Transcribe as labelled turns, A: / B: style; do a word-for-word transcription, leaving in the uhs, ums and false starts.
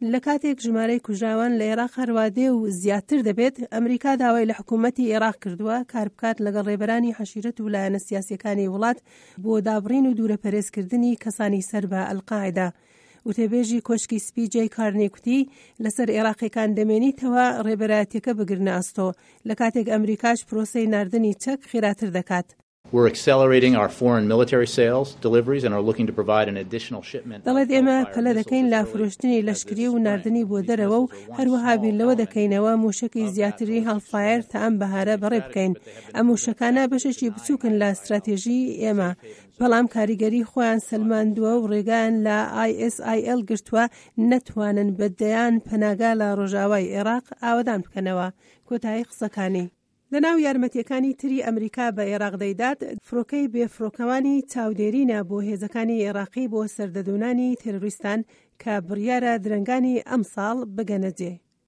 A: لە کاتێک ژمارەی کوژراوان لە ئێراق هەروادێ و زیاتر دەبێت، ئەمریکا داوای لە حکوومەتی ئێراق کردووە کار بکات لەگەڵ ڕێبەرانی عەشیرەت و لایەنە سیاسیەکانی وڵات بۆ دابڕین و دوورەپەرێزکردنی کەسانی سەر بە ئەلقاعدە. وتەبێژی کۆشکی سپی جەی کارنی کوتی لەسەر عێراقیەکان دەمێنیتەوە ڕێبەرایەتیەکە بگرنە ئەستۆ، لە کاتێک ئەمریکاش پرۆسەی ناردنی چەک خێراتر دەکات.
B: We're accelerating our foreign military sales deliveries and are looking to provide an additional shipment.
A: دەڵێت ئێمە پەلە دەکەین لە فرۆشتنی لەشکری و ناردنی بۆ دەرەوە و هەروەها بیر لەوە دەکەینەوە موشکی زیاتری هێلفایر تا ئەم بەهارە بەڕێ بکەین. ئەم موشەکانە بەشێکی بچووکن لە استراتێژی ئێمە، بەڵام کاریگەری خۆیان سەلماندووە و ڕێگایان لە ISIL گرتووە نەتوانن بە دەیان پەناگا لە ڕۆژاوای عێراق ئاوەدان بکەنەوە. کۆتایی قسەکانی. لەناو یارمەتیەکانی تری ئەمریکا بە عێراق دەیدات، فڕۆکەی بێفڕۆکەوانی چاودێرینە بۆ هێزەکانی عێراقی بۆ سەردەدونانی تێرۆریستان کە بڕیارە درەنگانی ئەمساڵ بگەنە جێ.